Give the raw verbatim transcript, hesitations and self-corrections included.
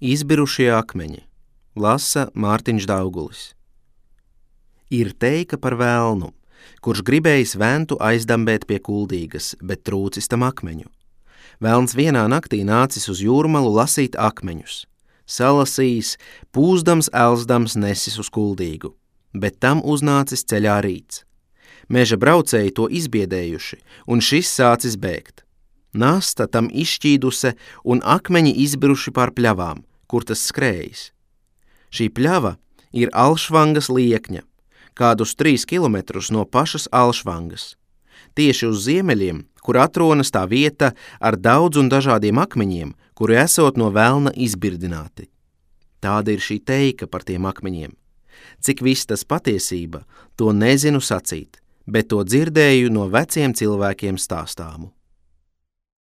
Izbirušie akmeņi. Lasa Mārtiņš Daugulis. Ir teika par velnu, kurš gribējis ventu aizdambēt pie Kuldīgas, bet trūcis tam akmeņu. Velns vienā naktī nācis uz jūrmalu lasīt akmeņus. Salasījis, pūzdams, elsdams nesis uz Kuldīgu, bet tam uznācis ceļā rīts. Meža braucēji to izbiedējuši, un šis sācis bēgt. Nasta tam izšķīduse un akmeņi izbiruši pār pļavām, kur tas skrējis. Šī pļava ir Alšvangas liekņa, kādus trīs kilometrus no pašas Alšvangas. Tieši uz ziemeļiem, kur atrodas tā vieta ar daudz un dažādiem akmeņiem, kuri esot no velna izbirdināti. Tāda ir šī teika par tiem akmeņiem. Cik viss tas patiesība, to nezinu sacīt, bet to dzirdēju no veciem cilvēkiem stāstāmu.